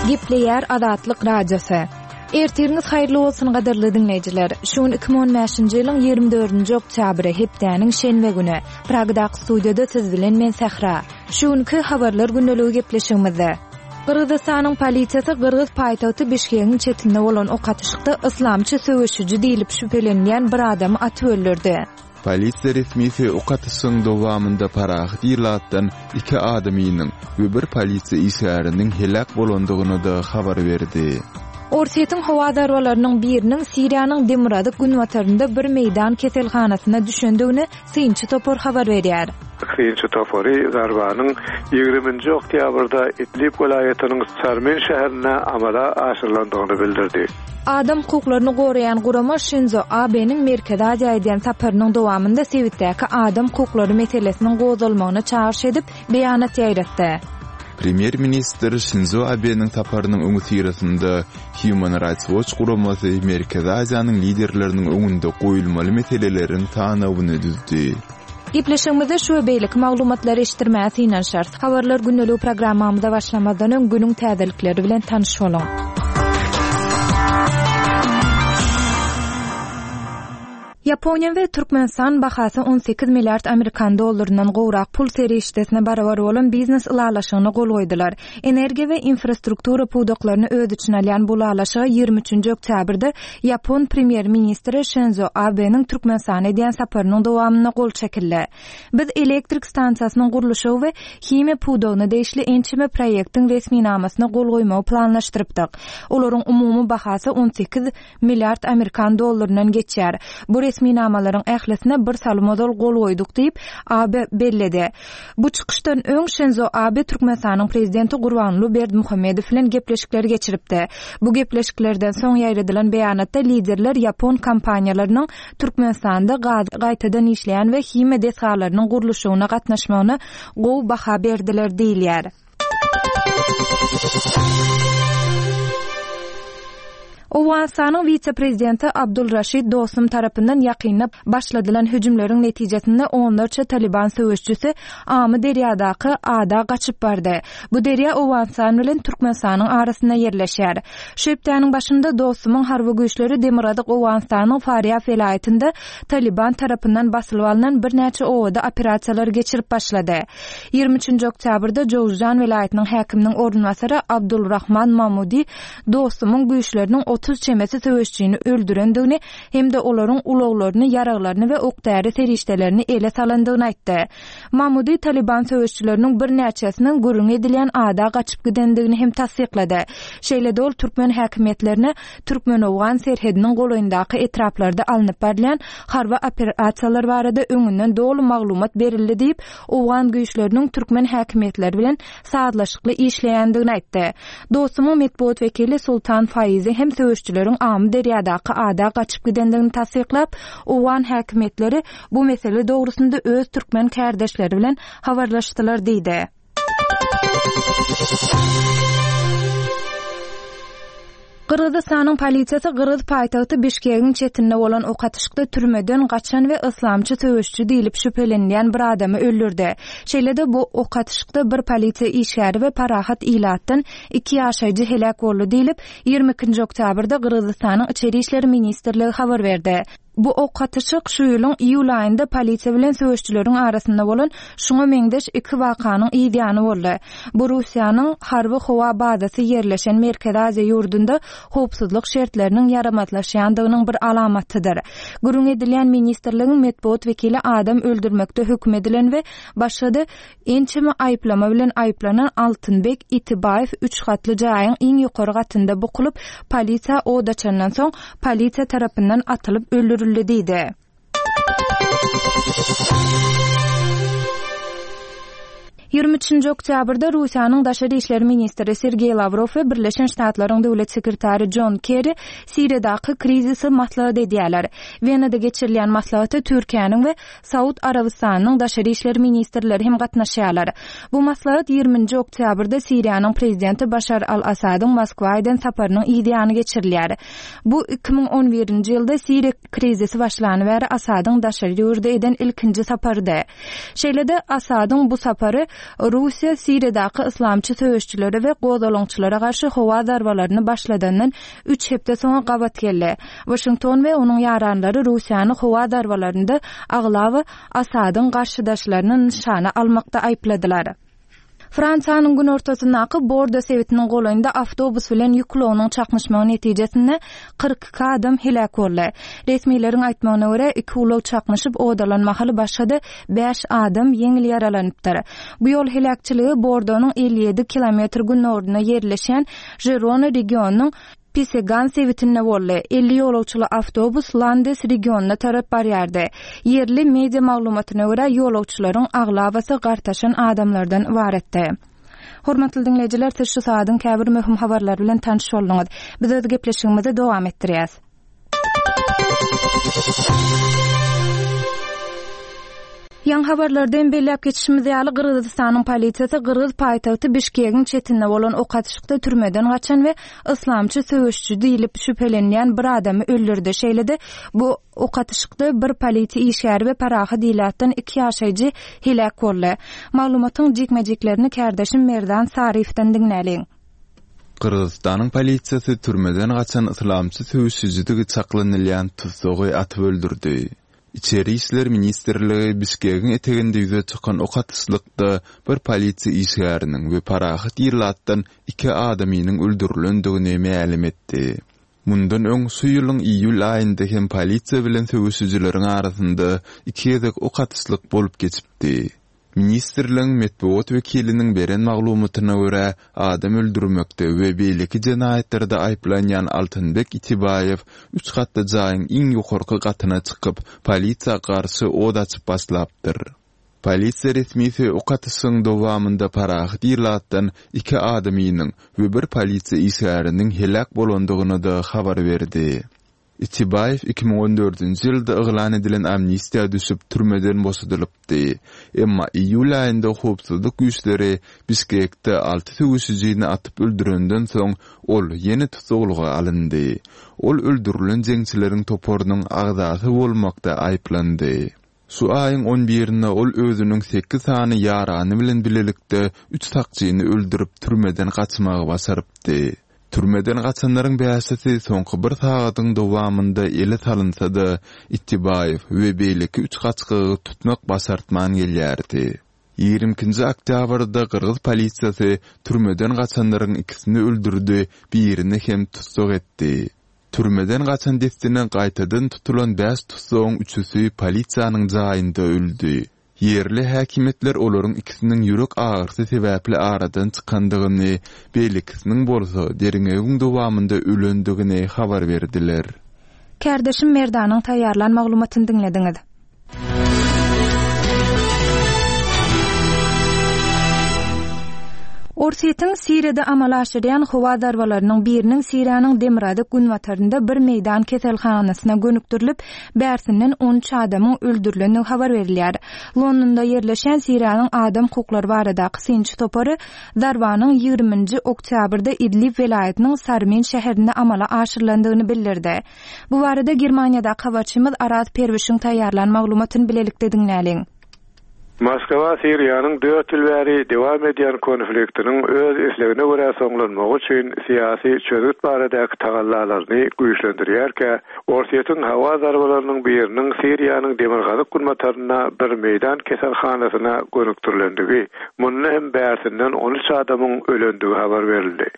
Gepleýär Azatlyk Radiosy. Ertiriňiz haýyrly bolsun gadyrly diňleýjiler. Şu gün 2015-nji ýylyň 24-nji oktýabry, hepdäniň şenbe güni. Pragadaky studiýada siz bilen men Sähra. Şu günki Habarlar gündeligi gepleşigimizde Gyrgyzystanyň polisiýasy gyrgyz paýtagty Bişkegiň çetinde bolan ok atyşykda yslamçy söweşiji diýlip şübhelenilýän bir adamy atyp öldürdi. Polisiýa resmisi ok atyşygyň dowamynda parahat ilatdan iki adamynyň we bir polisiýa işgäriniň heläk bolandygyny-da habar berdi. Orsýetiň howa zarbalarynyň biriniň Siriýanyň demirgazyk-günbatarynda bir meýdan keselhanasyna düşendigini synçy topar habar berýär. Synçy topary zarbanyň ýigriminji oktýabrda Idlib welaýatynyň Sarmin şäherinde amala aşyrylandygyny bildirdi. Adam hukuklaryny goraýan gurama Şinzo Abeniň Merkezi Aziýa edýän saparynyň dowamynda sebitdäki adam hukuklary meselesiniň gozgalmagyna çagyryş edip, beýanat ýaýratdy. Premýer-ministr Şinzo Abeniň saparynyň öňüsyrasynda Human Rights Watch guramasy Merkezi Aziýanyň liderleriniň öňünde goýulmaly meseleleriň sanawyny düzdi. Gepleşigimizde şu we beýleki maglumatlary eşitdirmäge synanyşarys. Habarlar gündeligi programmamyza başlamazdan öň günüň täzelikleri bilen tanyş boluň. Ýaponiýa we Türkmenistan bahasy 18 milliard amerikan dollaryndan gowrak pul serişdesine barabar bolan biznes ylalaşygyna gol goýdular. Energiýa we infrastruktura pudaklaryny öz içine alýan bu ylalaşyga 23-nji oktýabrda ýapon premýer-ministri Şinzo Abeniň Türkmenistana edýän saparynyň dowamynda gol çekildi. Biz elektrik stansiýasynyň gurluşygy we himiýa pudagyna degişli ençeme proýektiň resminamasyna gol goýmagy planlaşdyrypdyk. Olaryň umumy bahasy 18 milliard amerikan dollaryndan geçýär. Bu resminamalaryň ählisine bir salym ozal gol goýduk diýip, Abe belledi. Bu çykyşdan öň Şinzo Abe Türkmenistanyň Prezidenti Gurbanguly Berdimuhamedow bilen gepleşikler geçiripdi. Bu gepleşiklerden soň ýaýradylan beýanatda liderler ýapon kompaniýalarynyň Türkmenistanda gazy gaýtadan işleýän we himiýa desgalarynyň gurluşygyna gatnaşmagyna gowy baha berdiler diýilýär. Owganystanyň wise-prezidenti Abdul Raşid Dostum tarapyndan ýakynda başladylan hüjümleriň netijesinde onlarça Talyban söweşijisi Amy derýadaky ada gaçyp bardy. Bu derýa Owganystan bilen Türkmenistanyň arasynda ýerleşýär. Şu hepdäniň başynda Dostumyň harby güýçleri demirgazyk Owganystanyň Farýab welaýatynda Talyban tarapyndan basylyp alnan birnäçe obada operasiýalar geçirip başlady. 23-nji oktýabrda Jowzjan welaýatynyň häkiminiň orunbasary Abdul Rahman Mamudi Dostumyň güýçleriniň 30 çemesi söweşijini öldürendigini hem-de olaryň ulaglaryny, ýaraglaryny we ok-däri serişdelerini ele salandygyny aýtdy. Mamudi Talyban söweşijileriniň birnäçesiniň gürrüňi edilýän ada gaçyp gidendigini hem tassyklady. Şeýle-de ol türkmen häkimiýetlerine türkmen-owgan serhediniň golaýyndaky etraplarda alnyp barylýan harby operasiýalar barada öňünden doly maglumat berildi diýip, owgan güýçleriniň türkmen häkimiýetleri bilen sazlaşykly işleýändigini aýtdy. Dostumyň metbugat wekili Sultan Faizi hem söweşijileriň Amyderýadaky ada gaçyp gidendigini tassyklap, owgan häkimiýetleri bu mesele dogrusynda öz türkmen kärdeşleri bilen habarlaşdylar diýdi. Gyrgyzystanyň polisiýasy gyrgyz paýtagty Bişkegiň çetinde bolan ok atyşykda türmeden gaçan we yslamçy söweşiji diýlip şübhelenilýän bir adamy öldürdi. Şeýle-de bu ok atyşykda bir polisiýa işgäri we parahat ilatdan iki ýaşaýjy heläk boldy diýlip, 22-nji oktýabrda Gyrgyzystanyň Içeri işler ministrligi habar berdi. Bu ok atyşyk şu ýylyň iýul aýynda polisiýa bilen söweşijileriň arasynda bolan şuňa meňzeş iki wakanyň yz ýany boldy. Bu Russiýanyň harby-howa bazasy ýerleşen Merkezi Aziýa ýurdunda howpsuzlyk şertleriniň ýaramazlaşýandygynyň bir alamatydyr. Gürrüň edilýän ministrligiň metbugat wekili adam öldürmekde höküm edilen we başga-da Ençeme aýyplama bilen aýyplanan Altynbek Itibaýew üç gatly jaýyň iň ýokary gatynda bukulyp, polisiýa od açandan soň, polisiýa tarapyndan atylyp öldürildi diýdi. 23-nji oktýabrda Russiýanyň daşary işler ministri Sergeý Lawrow we Birleşen Ştatlaryň döwlet sekretary Jon Kerri Siriýadaky krizisi maslahat edýärler. Wenada geçirilýän maslahata Türkiýäniň we Saud Arabystanynyň daşary işler ministrleri hem gatnaşýarlar. Bu maslahat 20-nji oktýabrda Siriýanyň prezidenti Başar al-Assadyň Moskwa eden saparynyň yz ýany geçirilýär. Bu 2011-nji ýylda Siriýa krizisi başlany bäri Assadyň daşary ýurda eden ilkinji saparydy. Şeýle-de, Assadyň bu sapary. Russiýa Siriýadaky yslamçy söweşijilere we gozgalaňçylara garşy howa zarbalaryny başladandan üç hepde soňa gabat geldi. Waşington we onuň ýaranlary Russiýany howa zarbalarynda aglaba Asadyň garşydaşlaryny nyşana almakda aýypladylar. Fransiýanyň günortasyndaky Bordo sebitiniň golaýynda awtobus bilen ýük ulagynyň çaknyşmagy netijesinde 42 adam heläk boldy. Resmileriň aýtmagyna görä, iki ulag çaknyşyp ot alan mahaly başga-da bäş adam ýeňil ýaralanypdyr. Bu ýol heläkçiligi Bordonyň 57 kilometr günorynda ýerleşýän Žirona regionynyň Pisegan sebitinde boldy. 50 ýolagçyly awtobus Landes regionyna tarap barýardy. Ýerli media maglumatyna görä, ýolagçylaryň aglabasy gartaşan adamlardan ybaratdy. Hormatly diňleýjiler, siz şu sagadyň käbir möhüm habarlary bilen tanyş bolduňyz. Biz öz gepleşigimizi dowam etdirýäs. Ýaňy habarlarda hem belläp geçişimiz ýaly, Gyrgyzystanyň polisiýasy gyrgyz paýtagty Bişkegiň çetinde bolan ok atyşykda türmeden gaçan we yslamçy söweşiji diýlip şübhelenilýän bir adamy öldürdi. Şeýle-de, bu ok atyşykda bir polisiýa işgäri we parahat ilatdan iki ýaşaýjy heläk boldy. Maglumatyň jikme-jiklerini kärdeşim Merdan Saryýewden diňläliň. Gyrgyzystanyň polisiýasy türmeden gaçan yslamçy söweşijidigi çaklanylýan tussagy atyp öldürdi. Içeri işler ministrligi Bişkegiň eteginde ýüze çykan ok atyşlykda bir polisiýa işgäriniň we parahat ilatdan iki adamynyň öldürilendigini mälim etdi. Mundan öň şu ýylyň iýul aýynda hem polisiýa bilen söweşijileriň arasynda iki gezek ok atyşlyk bolup geçipdi. Ministrligiň metbugat wekiliniň beren maglumatyna görä, adam öldürmekde we beýleki jenaýatlarda aýyplanýan Altynbek Itibaýew üç gatly jaýyň iň ýokarky gatyna çykyp, polisiýa garşy ot açyp başlapdyr. Polisiýa resmisi ok atyşygyň dowamynda parahat ilatdan iki adamynyň we bir polisiýa işgäriniň heläk bolandygyny-da habar berdi. Itibaýew 2014-nji ýylda yglan edilen amnistiýa düşüp, türmeden boşadylypdy. Emma iýul aýynda howpsuzlyk güýçleri Bişkekde alty söweşijini atyp öldürenden soň, ol ýene tussaglyga alyndy. Ol öldürilen jeňçileriň toparynyň agzasy bolmakda aýyplandy. Şu aýyň on birinde ol özüniň sekiz sany ýarany bilen bilelikde üç sakçyny öldürip, türmeden gaçmagy başarypdy. Türmeden gaçanlaryň bäşisi soňky bir sagadyň dowamynda ele salynsa-da, Itibaýew we beýleki üç gaçgagy tutmak başartman gelýärdi. Ýigrimi ikinji oktýabrda gyrgyz polisiýasy türmeden gaçanlaryň ikisini öldürdi, birini hem tussag etdi. Türmeden gaçan dessine gaýtadan tutulan bäş tussagyň üçüsi polisiýanyň jaýynda öldi. Ýerli häkimiýetler olaryň ikisiniň ýürek agyrysy sebäpli aradan çykandygyny, beýlekisiniň bolsa derňewiň dowamynda ölendigini habar berdiler. Kärdeşim Merdanyň taýýarlan maglumatyny diňlediňiz. Orsýetiň Siriýada amala aşyrýan howa zarbalarynyň biriniň Siriýanyň demirgazyk-günbatarynda bir meýdan keselhanasyna gönükdirilip, bärsinden 13 adamyň öldürilendigi habar berilýär. Londonda ýerleşýän Siriýanyň adam hukuklary baradaky synçy topary zarbanyň ýigriminji oktýabrda Idlib welaýatynyň Sarmin şäherinde amala aşyrylandygyny bildirdi. Bu barada Germaniýadaky habarçymyz Araz Perwişiň taýýarlan maglumatyny bilelikde diňläliň. Moskwa Siriýanyň dört ýyl bäri dowam edýän konfliktiniň öz islegine görä soňlanmagy üçin syýasy çözgüt baradaky tagallalaryny güýçlendirýärkä, Orsýetiň howa zarbalarynyň biriniň Siriýanyň demirgazyk-günbatarynda bir meýdan keselhanasyna gönükdirilendigi, munda hem bärsinden 13 adamyň ölendigi habar berildi.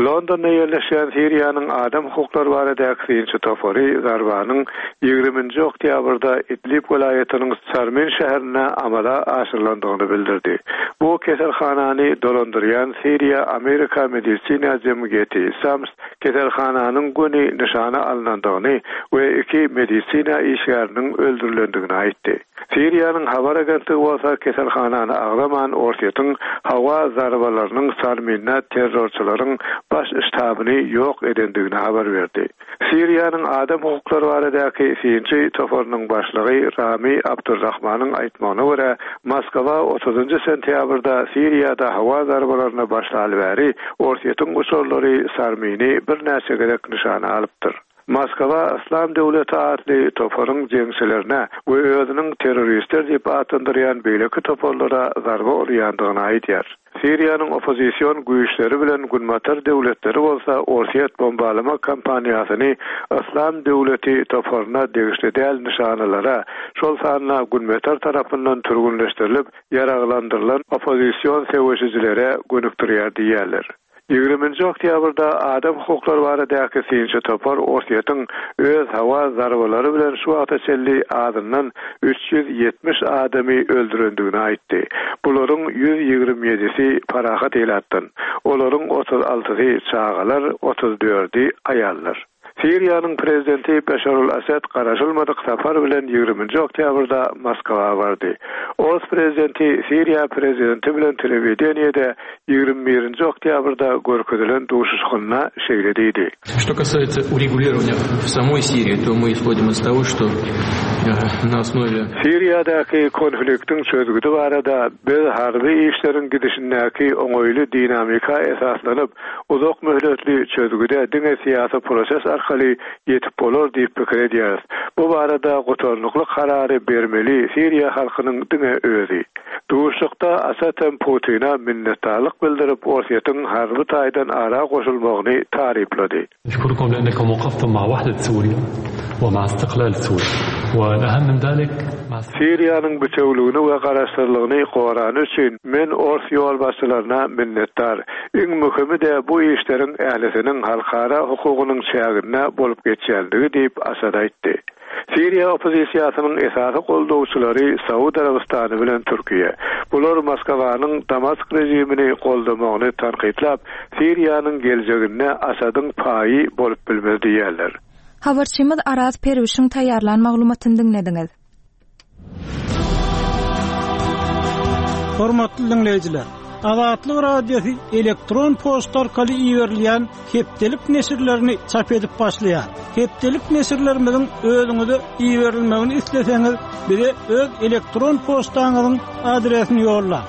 Londonda ýerleşýän Siriýanyň adam hukuklary baradaky synçy topary zarbanyň ýigriminji oktýabrda Idlib welaýatynyň Sarmin şäherinde amala aşyrylandygyny bildirdi. Bu keselhanany dolandyrýan Siriýa-Amerika medisina jemgyýeti, SAMS, keselhananyň göni nyşana alnandygyny we iki medisina işgäriniň öldürilendigini aýtdy. Siriýanyň habar agentligi bolsa keselhanany agzaman, Orsýetiň howa zarbalarynyň Sarminde terrorçylaryň baş ştabyny ýok edendigini habar berdi. Siriýanyň adam hukuklary baradaky synçy toparynyň başlygy Rami Abdurrahmanyň aýtmagyna görä, Moskwa otuzynjy sentýabrda Siriýada howa zarbalaryna başlaly bäri Orsýetiň uçarlary Sarmini birnäçe gezek nyşana alypdyr. Moskwa Yslam döwleti atly toparyň jeňçilerine we özüniň terroristler diýip atlandyrýan beýleki toparlara zarba urýandygyny aýdýar. Siriýanyň oppozision güýçleri bilen günbatar döwletleri bolsa Orsýet bombalama kampaniýasyny Yslam döwleti toparyna degişli däl nyşanalara, şol sanda Günbatar tarapyndan türgünleşdirilip ýaraglandyrylan oppozision söweşijilere gönükdirýär diýýärler. Ýigriminji oktýabrda adam hukuklary baradaky synçy topar Orsýetiň öz howa zarbalary bilen şu wagta çenli azyndan 370 adamy öldürendigini aýtdy. Bularyň 127-si parahat ilatdan. Olaryň 36-sy çagalar, 34-i aýallar. Siriýanyň prezidenti Beşar al-Assad garaşylmadyk sapar bilen ýigriminji oktýabrda Moskwa bardy. Ors prezidenti Siriýa prezidenti bilen telewideniýede 21-nji oktýabrda görkezilen duşuşygynda şeýle diýdi. Что касается урегулирования в самой Сирии, то мы исходим из того, что на основе. Siriýadaky konfliktiň çözgüdi barada biz harby işleriň gidişindäki oňaýly dinamika esaslanyp, Uzak möhletli çözgüde diňe syýasy proses arkaly ýetip bolar diýip pikir edýäris. Bu barada gutarnykly karary bermeli Siriýa halkynyň diňe özi. Duşuşykda Asad hem Putine minnetdarlyk bildirip, Orsýetiň harby taýdan ara goşulmagyny taryplady. Neşkurukum leannekum wekaftum ma wahdet Suriýa we ma istiklal Suriýa we el-ahem min zalik ma. Siriýanyň bitewüligini we garaşsyzlygyny gorany üçin men ors ýolbaşçylaryna minnetdar. Iň möhümi-de bu işleriň ählisiniň halkara hukugynyň çäginde bolup geçýänligi diýip, Asad aýtdy. Siriýa oppozisiýasynyň esasy goldawçylary Saud Arabystany bilen Türkiýe. Bular Moskwanyň Damask režimini goldamagyny tankytlap, Siriýanyň geljeginde Asadyň paýy bolup bilmez diýýärler. Habarçymyz Araz Perwişiň taýýarlan maglumatyny diňlediňiz. Hormatly diňleýjiler! Azatlyk Radiosy elektron poçta arkaly iberilýän hepdelik neşirlerini çap edip başlaýar. Hepdelik neşirlerimiziň özüňize iberilmegini isleseňiz, bize öz elektron poçtaňyzyň adresini ýollaň.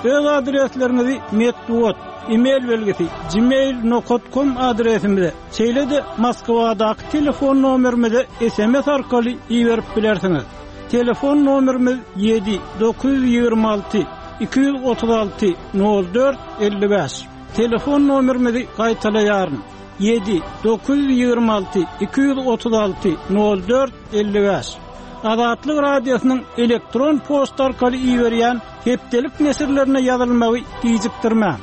Öz adresleriňizi metbugat, e-mail belgisi, gmail nokat kom adresimize, şeýle-de Moskwadaky telefon nomerimize sms arkaly iberip bilersiňiz. Telefon nomerimiz ýedi, 926 236 04 55. Telefon nomerimizi gaýtalaýaryn, ýedi, 926 236 04 55. Azatlyk Radiosynyň elektron poçta arkaly iberýän hepdelik neşirlerine ýazylmagy gijikdirmäň.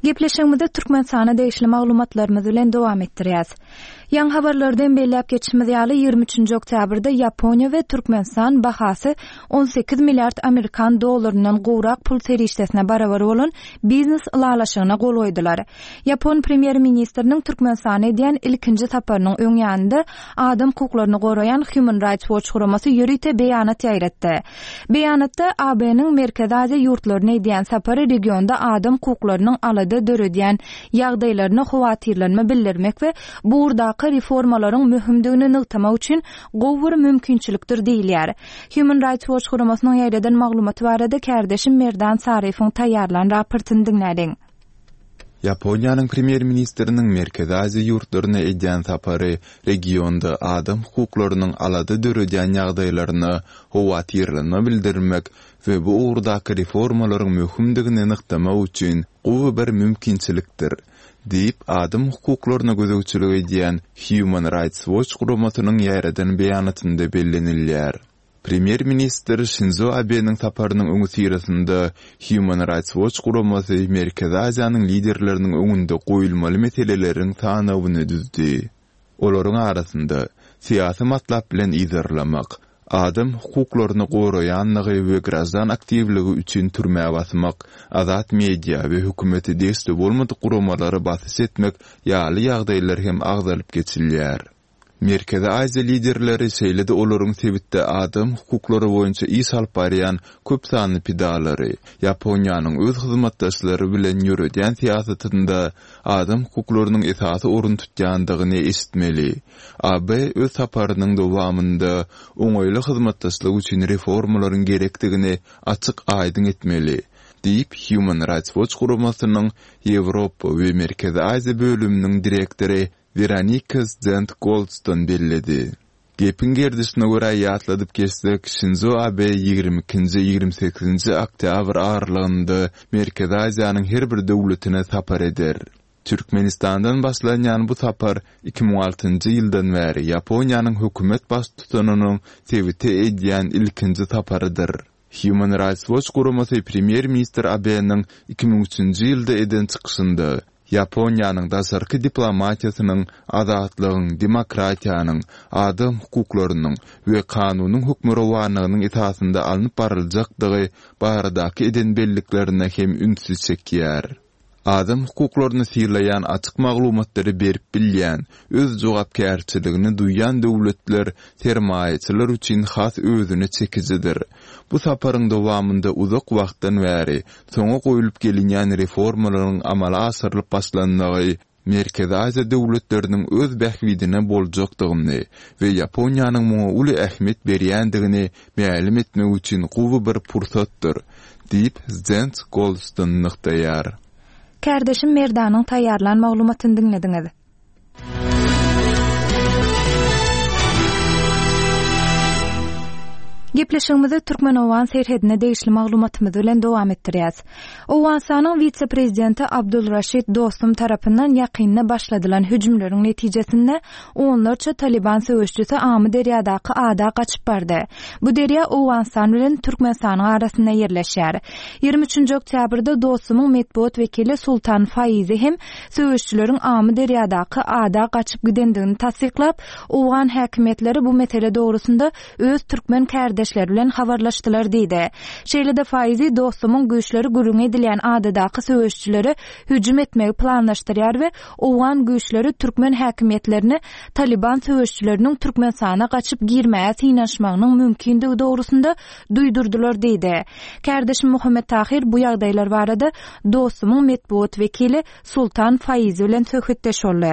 Gepleşigimizi Türkmenistana degişli maglumatlarymyz bilen dowam etdirýäs. Ýaňy habarlarda hem belläp geçişimiz ýaly, 23-nji oktýabrda Ýaponiýa we Türkmenistan bahasy 18 milliard amerikan dollaryndan gowrak pul serişdesine barabar bolan biznes ylalaşygyna gol goýdular. Ýapon premýer-ministriniň Türkmenistana edýän ilkinji saparynyň öň ýanynda adam hukuklaryny goraýan Human Rights Watch guramasy ýörite beýanat ýaýratdy. Beýanatda AB-niň Merkezi Aziýa ýurtlaryna edýän sapary regionda adam hukuklarynyň alada döredýän ýagdaýlaryna howatyrlanma bildirmek we bu ugurdaky reformalaryň möhümdigini nygtamak üçin gowy bir mümkinçilikdir diýilýär. Human Rights Watch guramasynyň ýaýradan maglumaty barada kärdeşim Merdan Saryýewiň taýýarlan raportyny diňläliň. Ýaponiýanyň premýer-ministriniň Merkezi Aziýa ýurtlaryna edýän sapary regionda adam hukuklarynyň alada döredýän ýagdaýlaryna howatyrlanma bildirmek we bu ugurdaky reformalaryň möhümdigini nygtamak üçin gowy bir mümkinçilikdir, diýip, adam hukuklaryna gözegçilik edýän Human Rights Watch guramasynyň ýaýradan beýanatynda bellenilýär. Premýer-ministr Şinzo Abeniň saparynyň öňüsyrasynda Human Rights Watch guramasy Merkezi Aziýanyň liderleriniň öňünde goýulmaly meseleleriň sanawyny düzdi. Olaryň arasynda, syýasy matlap bilen yzarlamak, adam hukuklaryny goraýanlygy we graždan aktiwligi üçin türmä basmak, azat media we hökümete degişli bolmadyk guramalara basyş etmek ýaly ýagdaýlar hem agzalyp geçilýär. Merkezi Aziýa liderleri şeýle-de olaryň sebitde adam hukuklary boýunça iş alyp barýan köp sanly pidalary, Ýaponiýanyň öz hyzmatdaşlary bilen ýöredýän syýasatynda adam hukuklarynyň esasy orun tutýandygyny eşitmeli. AB öz saparynyň dowamynda oňaýly hyzmatdaşlyk üçin reformalaryň gerekdigini açyk-aýdyň etmeli. diýip, Human Rights Watch guramasynyň Ýewropa we Merkezi Aziýa bölüminiň direktory Weronika Zent-Goldston belledi. Gepiň gerdişine görä ýatladyp geçsek, Şinzo Abe 22-nji, 28-nji oktýabr aralygynda Merkezi Aziýanyň her bir döwletine sapar eder. Türkmenistandan başlanýan bu sapar 2006-njy ýyldan bäri Ýaponiýanyň hökümet baştutanynyň sebite edýän ilkinji saparydyr. Human Rights Watch guramasy premýer-ministr Abeniň 2003-nji ýylda eden çykyşynda Ýaponiýanyň daşarky diplomatiýasynyň azatlygyň, demokratiýanyň, adam hukuklarynyň we kanunyň hökmürowanlygynyň esasynda alnyp baryljakdygy baradaky eden belliklerine hem ünsi çekýär. Adam hukuklaryny sylaýan açyk maglumatlary berip bilýän, öz jogapkärçiligini duýýan döwletler sermaýaçylar üçin has özüne çekijidir. Bu saparyň dowamynda uzak wagtdan bäri soňa goýlup gelinýän reformalaryň amala aşyrylyp başlanmagy Merkezi Aziýa döwletleriniň öz bähbidine boljakdygyny we Ýaponiýanyň muňa uly ähmiýet berýändigini mälim etmek üçin gowy bir pursatdyr, diýip, Zens Goldston nygtaýar. Kärdeşim Merdanyň taýýarlan maglumatyny diňlediňiz. Gepleşigimizi türkmen-owgan serhedine degişli maglumatymyz bilen dowam etdirýäs. Owganystanyň wise-prezidenti Abdul Raşid Dostum tarapyndan ýakynda başladylan hüjümleriň netijesinde onlarça Talyban söweşçisi Amy derýadaky ada gaçyp bardy. Bu derýa Owganystan bilen Türkmenistanyň arasynda ýerleşýär. 23-nji oktýabrda Dostumyň metbugat wekili Sultan Faizi hem söweşçileriň Amy derýadaky ada gaçyp gidendigini tassyklap, owgan häkimiýetleri bu mesele dogrusynda öz türkmen kärdeşleri bilen habarlaşdylar diýdi. Şeýle-de Faizi Dostumyň güýçleri gürrüňi edilýän adadaky söweşçilere hüjüm etmegi planlaşdyrýar we owgan güýçleri türkmen häkimiýetlerine Talyban söweşçileriniň Türkmenistana gaçyp girmäge synanyşmagynyň mümkindigi dogrusynda duýdurdylar diýdi. Kärdeşim Muhammet Tahyr bu ýagdaýlar barada Dostumyň metbugat wekili Sultan Faizi bilen söhbetdeş boldy.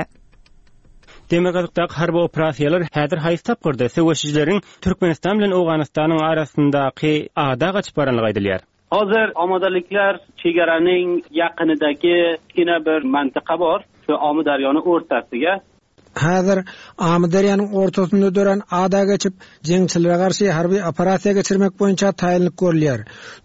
Demirgazykdaky harby operasiýalar häzir haýsy tapgyrda? Söweşijileriň Türkmenistan bilen Owganystanyň arasyndaky ada gaçyp baranlygy aýdylýar. Hozir omodaliklar chegaraning yaqinidagi kichkina bir mantiqa bor, shu Omudaryoni o'rtasiga. Häzir Amyderýanyň ortasynda dörän ada geçip, jeňçilere garşy harby operasiýa geçirmek boýunça taýynlyk görülýär.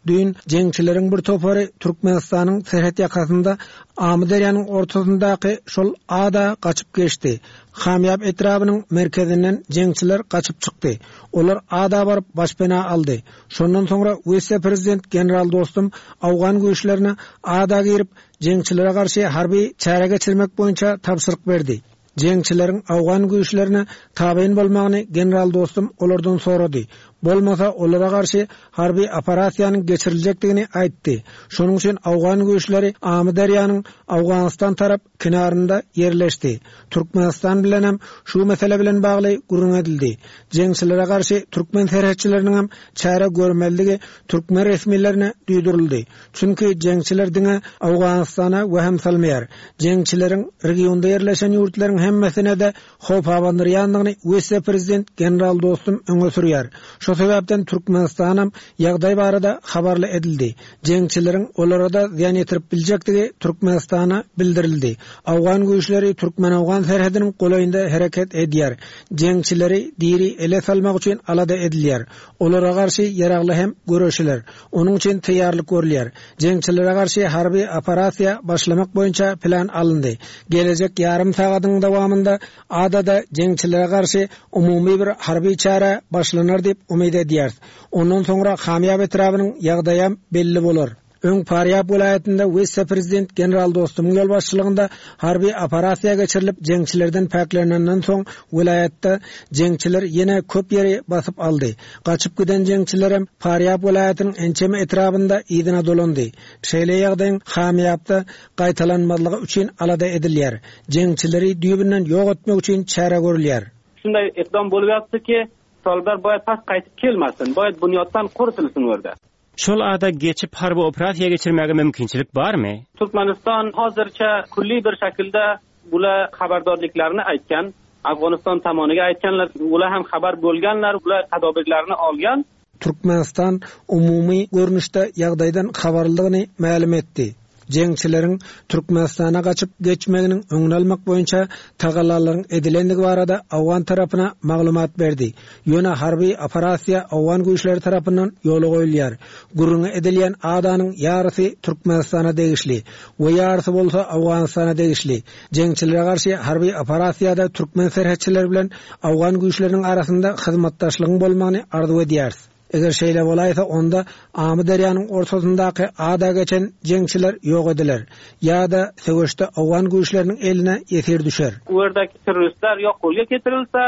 Düýn jeňçileriň bir topary Türkmenistanyň serhet ýakasynda Amyderýanyň ortasyndaky şol ada gaçyp geçdi. Hamýap etrabynyň merkezinden jeňçiler gaçyp çykdy. Olar ada baryp başpena aldy. Şondan soňra wise-prezident general Dostum owgan güýçlerine ada girip, jeňçilere garşy harby çäre geçirmek boýunça tabşyryk berdi. Jeňçileriň owgan güýçlerine tabyn bolmagyny general Dostum olardan sorady. Bolmasa olara garşy harby operasiýanyň geçiriljekdigini aýtdy. Şonuň üçin owgan güýçleri Amyderýanyň Owganystan tarap kenarynda ýerleşdi. Türkmenistan bilenem şu mesele bilen bagly gürrüň edildi. Jeňçilere garşy türkmen serhetçileriniňem çäre görmelidigi türkmen resmilerine duýduryldy. Çünki jeňçiler diňe Owganystana wehim salmaýar. Jeňçileriň regionda ýerleşen ýurtlaryň hemmesine-de howp abandyrýandygyny wise-prezident general Dostum öňe sürýär. Şo sebäpden Türkmenistanam ýagdaý barada habarly edildi. Jeňçileriň olara-da zyýan ýetirip biljekdigi Türkmenistana bildirildi. Owgan güýçleri türkmen-owgan serhediniň golaýynda hereket edýär. Jeňçileri diri ele salmak üçin alada edilýär. Olara garşy ýaragly hem göreşiler. Onuň üçin taýýarlyk görülýär. Jeňçilere garşy harby operasiýa başlamak boýunça plan alyndy. Gelejek ýarym sagadyň dowamynda adada jeňçilere garşy umumy bir harby çäre başlanar diýip umyt edýäris. Ondan soňra Hamýap etrabynyň ýagdaýam belli bolar. Öň Farýab welaýatynda wise-prezident general Dostumyň ýolbaşçylygynda harby operasiýa geçirilip, jeňçilerden päklenenden soň welaýatda jeňçiler ýene köp ýeri basyp aldy. Gaçyp giden jeňçilerem Farýab welaýatynyň ençeme etrabynda yzyna dolandy. Şeýle ýagdaýyň Hamýapda gaýtalanmazlygy üçin alada edilýär. Jeňçileri düýbünden ýok etmek üçin çäre görülýär. Şunday iqdom bo'lib yotibdiki, toliblar boyad past qaytib kelmasin, boyad bunyoddan quritilsin u yerda. Şol ada geçip harby operasiýa geçirmäge mümkinçilik barmy? Türkmenistan hozircha kulliy bir shaklda bular xabardorliklarini aytgan, Afg'oniston tomoniga aytganlar, ular ham xabar bo'lganlar, ular tadbirlarni olgan. Türkmenistan umumy görnüşde ýagdaýdan habarlydygyny mälim etdi. Jeňçileriň Türkmenistana gaçyp geçmeginiň öňüni almak boýunça tagallalaryň edilendigi barada owgan tarapyna maglumat berdi. Ýöne harby operasiýa owgan güýçleri tarapyndan ýola goýulýar. Gürrüňi edilýän adanyň ýarysy Türkmenistana degişli we ýarysy bolsa Owganystana degişli. Jeňçilere garşy harby operasiýada türkmen serhetçileri bilen owgan güýçleriniň arasynda hyzmatdaşlygyň bolmagyny arzuw edýäris. Eger şeýle bolaýsa, onda Amyderýanyň ortasyndaky ada geçen jeňçiler ýok ediler ýa-da söweşde owgan güýçleriniň eline ýesir düşer. U ýerdäki terroristler ýa golga getirilse,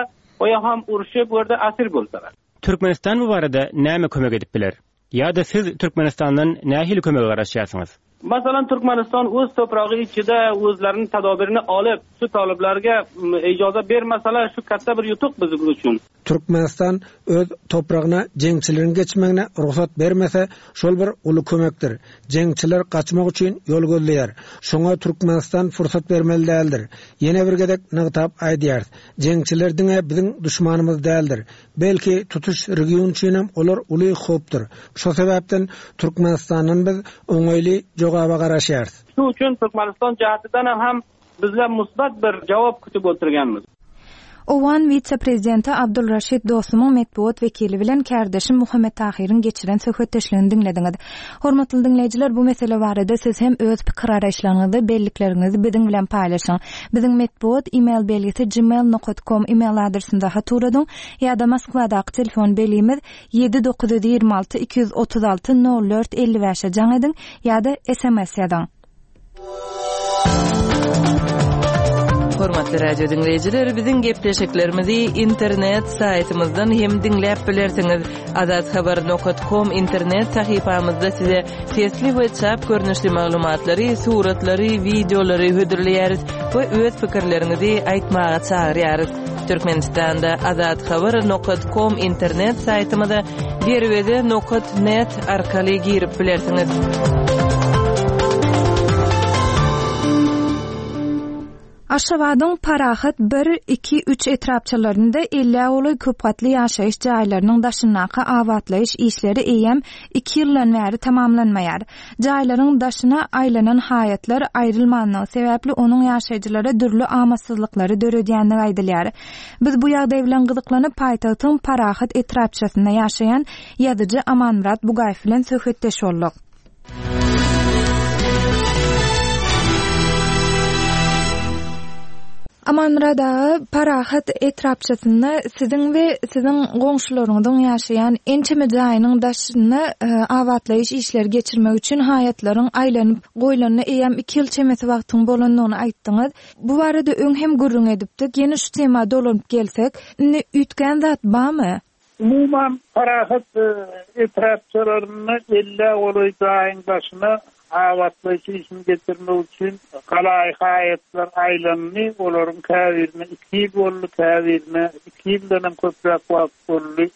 ýa hem urşup u ýerde asir bolsalar. Türkmenistan bu barada näme kömek edip biler? Ýa-da siz Türkmenistandan nähili kömege garaşýarsyňyz? Masalan, Türkmenistan öz topragy içide özleriniň tadabirini alyp, şu talyplarga ijaza bermeseler, şu katta bir ýutuk biziň üçin. Türkmenistan öz topragyna jeňçileriň geçmegine rugsat bermese, şol bir uly kömekdir. Jeňçiler gaçmak üçin ýol gözleýär. Şoňa Türkmenistan pursat bermeli däldir. Ýene bir gezek nygtap aýdýarys, jeňçiler diňe biziň duşmanymyz däldir. Belki, tutuş region üçinem olar uly howpdur. Şo sebäpden Türkmenistandan biz oňaýly jogaba garaşýarys. Şu üçin Türkmenistan jähtidenem hem bizler musbat bir jogap kütüp oturganmyz. Owgan wise-prezidenti Abdul Raşid Dostumyň metbugat wekili bilen kärdeşim Muhammet Tahyryň geçiren söhbetdeşligini diňlediňiz. Hormatly diňleýjiler, bu mesele barada siz hem öz pikir-garaýyşlaryňyzy, bellikleriňizi biziň bilen paýlaşyň. Biziň metbugat email belgisi gmail nokat kom email adresimize hat ugradyň ýa-da Moskwadaky telefon belgimiz ýedi 926 236 04 55-e jaň ediň ýa-da sms ýazyň. Hormatly radio diňleýjiler, biziň gepleşiklerimizi internet saýtymyzdan hem diňläp bilersiňiz. Azathabar nokat kom internet sahypamyzda size sesli we çap görnüşli maglumatlary, suratlary, wideolary hödürleýäris we öz pikirleriňizi aýtmaga çagyrýarys. Türkmenistanda Azathabar nokat kom internet saýtymyza derweze nokat net arkaly girip bilersiňiz. Aşgabadyň Parahat bir, iki, üç etrapçalarynda ellä golaý köpgatly ýaşaýyş jaýlarynyň daşyndaky abatlaýyş işleri eýýäm iki ýyldan bäri tamamlanmaýar. Jaýlaryň daşyna aýlanan haýatlar aýrylmanlygy sebäpli onuň ýaşaýjylara dürli amatsyzlyklary döredýändigi aýdylýar. Biz bu ýagdaý bilen gyzyklanyp, paýtagtyň Parahat etrapçasynda ýaşaýan ýazyjy Amanmyrat Bugaýew bilen söhbetdeş bolduk. Amanmyrat aga, Parahat etrapçasynda siziň we siziň goňşularyňyzyň ýaşaýan ençeme jaýynyň daşynda e, abatlaýyş işleri geçirmek üçin haýatlaryň aýlanyp goýlanyna eýýäm iki ýyl çemesi wagtyň bolandygyny aýtdyňyz. Bu barada öň hem gürrüň edipdik. Ýene şu tema dolanyp gelsek, indi üýtgän zat barmy? Umuman, Parahat etrapçalarynda ellä golaý jaýyň daşyna abatlaýyş işini geçirmek üçin galaýy haýatlar aýlandy. Olaryň käbirine iki ýyl boldy, käbirine iki ýyldanam köpräk wagt boldy.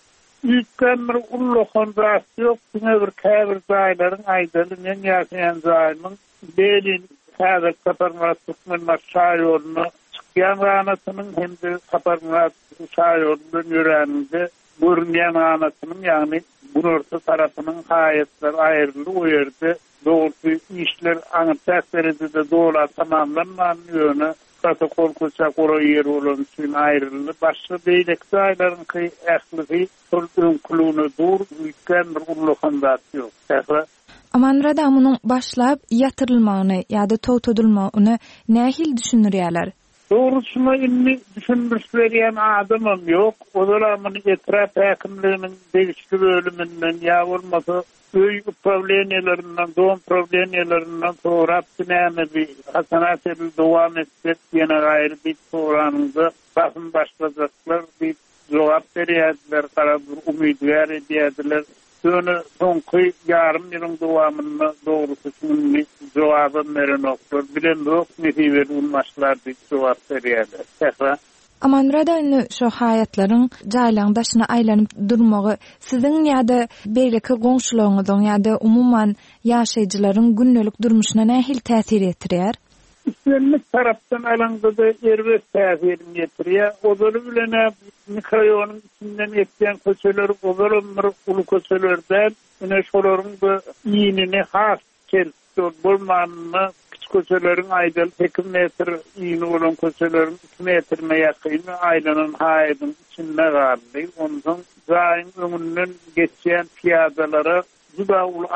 Üýtgän bir ullakan zat ýok, diňe bir käbir jaýlaryň, aýdaly, meň ýaşaýan jaýymyň Lenin häzirki Saparmyrat Türkmenbaşy şaýoluna çykýan ganatynyň hem-de Saparmyrat şaýolundan ýöräniňde görünýän ganatynyň, ýagny günorta tarapynyň haýatlary aýryldy, o ýerde dogrusy işler aňryçäk derejede dola tamamlanmandy, ýöne protokol köçä golaý ýer bolany üçin aýryldy. Başga beýleki jaýlaryňky ählisi şol öňküligine dur, üýtgän bir ullakan zat ýok. Sähra. Amanmyrat aga munuň başlap ýatyrylmagyny ýa-da togtadylmagyny nähili düşündirýärler? Dogrusyna indi düşündiriş berýän adamam ýok. Ozal-a muny etrap häkimliginiň degişli bölüminden ýa bolmasa öý uprawleniýelerinden, dom prawleniýelerinden sorapdy näme bi haçana çenli dowam etjek ýene gaýry diýip soranyňda basym başlajaklar diýip jogap berýärdiler, garaz bir umydygär edýärdiler. Ýöne soňky ýarym ýylyň dowamynda dogrusy şu indi jogabam berenoklar. Bilemzok, nesibeli gün başlar diýip jogap berýärler. Sähra. Amanmyrat aga indi şu haýatlaryň jaýlaryň daşyna aýlanyp durmagy siziň ýa-da beýleki goňşularyňyzyň ýa-da umuman ýaşaýjylaryň gündelik durmuşyna nähili täsir ýetirýär? Islendik tarapdan alaňda-da erbet täsirini ýetirýär. Ozaly bilen-ä mikroýonyň içinden geçýän köçeler ozalam bir uly köçeler däl. Ine şolaryň-da inini has kiçeltdi. Ol bolmanynda kiçi köçeleriň aýdaly sekiz metr ini bolan köçeleriň iki metrine ýakyny aýlanan haýadyň içinde galdy. Onsoň jaýyň öňünden geçýän pyýadalara juda uly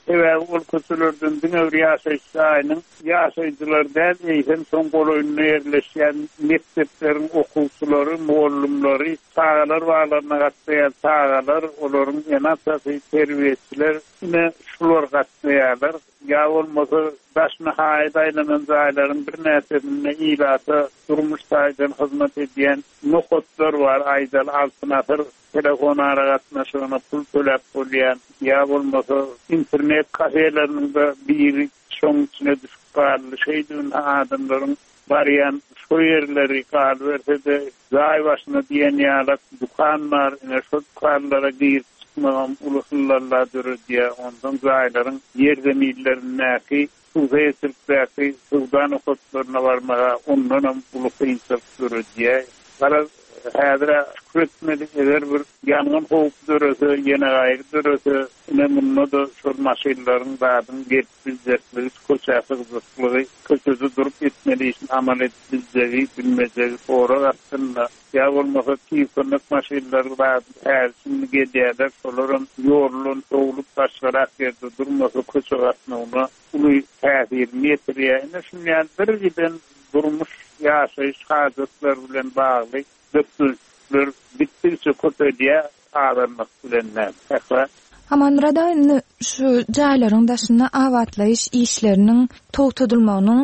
Sebäbi ol köçelerden diňe bir ýaşaýyş jaýynyň ýaşaýjylary däl, eýsem, şoň golaýynda ýerleşýän mekdepleriň okuwçylary, mugallymlary, çagalar baglaryna gatnaýan çagalar, olaryň ene-atasy, terbiýeçiler, ine, şular gatnaýarlar. Ýa bolmasa, daşyna haýat aýlanan jaýlaryň birnäçesinde ilata durmuş taýdan hyzmat edýän nokatlar bar, aýdaly, Altyn asyr Telefon aragatnaşygyna pul töläp bolýan, ýa bolmasa internet kafeleriniň-de biri şoň içine düşüp galdy. Şeýdibinde adamlaryň barýan şo ýerleri galyberse-de jaý başyna diýen ýalak dükan bar, ine şo dükanlara girip çykmagam uly hyllalla döredýär. Onsoň jaýlaryň ýerzeminlerindäki Hususyýetçilikdäki söwda nokatlaryna barmaga ondanam uly kynçylyk döredýär. Garaz, häzir-ä şükür etmeli, eger bir ýangyn howpy dörese, ýene gaýgy dörese, ine munda-da şol maşynlaryň zadyň gelip biljekligi, köçä sygjaklygy, köçede durup etmeli işini amal edip biljegi, bilmejegi sorag astynda. Ýa bolmasa tiz kömek maşynlary zady häli-şindi gelýärler, şolaram ýoldan sowlup başgarak ýerde durmasa köçe gatnawyna uly täsirini ýetirýär. Ine şuny ýaly bir giden durmuş, ýaşaýyş hajatlary bilen bagly bökdençlikler gitdigiçe köpelýär, azalmak bilen däl. Sähra. Amanmyrat aga indi şu jaýlaryň daşynda abatlaýyş işleriniň togtadylmagynyň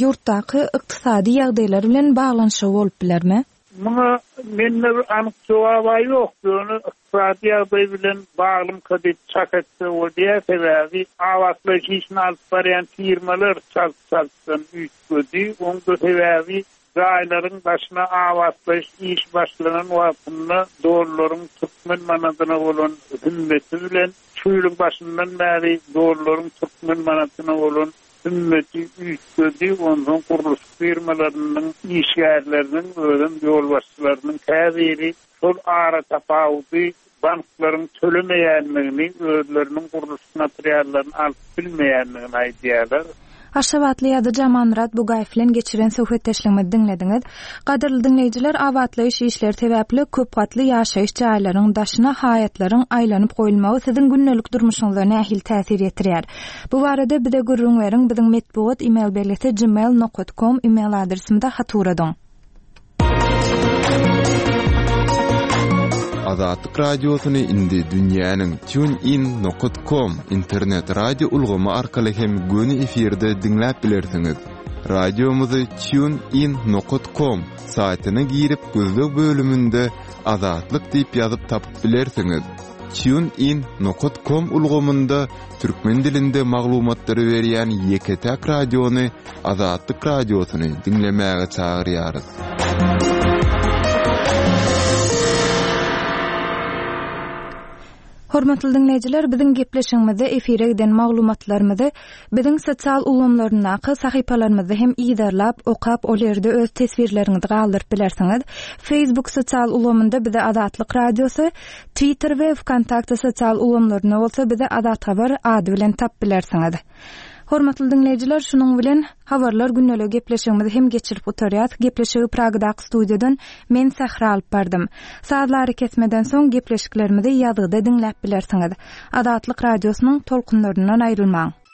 ýurtdaky ykdysady ýagdaýlar bilen baglanyşygy bolup bilermi? Muňa mende bir anyk jogab-a ýok, ýöne ykdysady ýagdaý bilen baglymyka diýip çak etse bolýar, sebäbi abatlaýyş işini alyp barýan firmalar çalt-çaltdan üýtgedi, oň-da sebäbi Jaýlaryň daşyna abatlaýyş işi başlanan wagtynda dollaryň türkmen manadyna bolan hümmeti bilen şu ýylyň başyndan bäri dollaryň türkmen manadyna bolan hümmeti üýtgedi, onsoň gurluşyk firmalarynyň işgärleriniň, özem ýolbaşçylarynyň käbiri şol aratapawudy banklaryň tölemeýändigini, özleriniň gurluşyk materiallaryny alyp bilmeýändigini aýdýarlar. Aşgabatly ýazyjy Amanmyrat Bugaýew bilen geçiren söhbetdeşligimizi diňlediňiz. Gadyrly diňleýjiler, abatlaýyş işleri sebäpli köp gatly ýaşaýyş jaýlaryň daşyna haýatlaryň aýlanyp goýulmagy siziň gündelik durmuşyňyza nähili täsir ýetirýär? Bu barada bize gürrüň beriň, biziň metbugat email belgisi gmail nokat kom email adresimize hat ugradyň. Azatlyk Radiosyny indi dünýäniň TuneIn nokat kom internet radio ulgamy arkaly hem göni efirde diňläp bilersiňiz. Radiomyzy TuneIn nokat kom saýtyna girip gözleg bölüminde Azatlyk diýip ýazyp tapyp bilersiňiz. TuneIn nokat kom ulgamynda türkmen dilinde maglumatlary berýän ýeke-täk radiony Azatlyk Radiosyny diňlemäge çagyrýarys. Hormatly diňleýjiler, biziň gepleşigimizde efire giden maglumatlarymyzy biziň sosial ulgamlaryndaky sahypalarymyzda hem yzarlap, okap, ol ýerde öz teswirleriňizi galdyryp bilersiňiz. Facebook sosial ulgamynda bizi Azatlyk Radiosy, Twitter we Wkontakte sosial ulgamlarynda bolsa bizi Azathabar ady bilen tap bilersiňiz. Hormatly diňleýjiler, şunuň bilen Habarlar gündeligi gepleşigimizi hem geçirip gutarýas. Gepleşigi Pragadaky studiýadan men Sähra alyp bardym. Sazly arakesmeden soň gepleşiklerimizi ýazgyda diňläp bilersiňiz. Azatlyk Radiosynyň tolkunlaryndan aýrylmaň!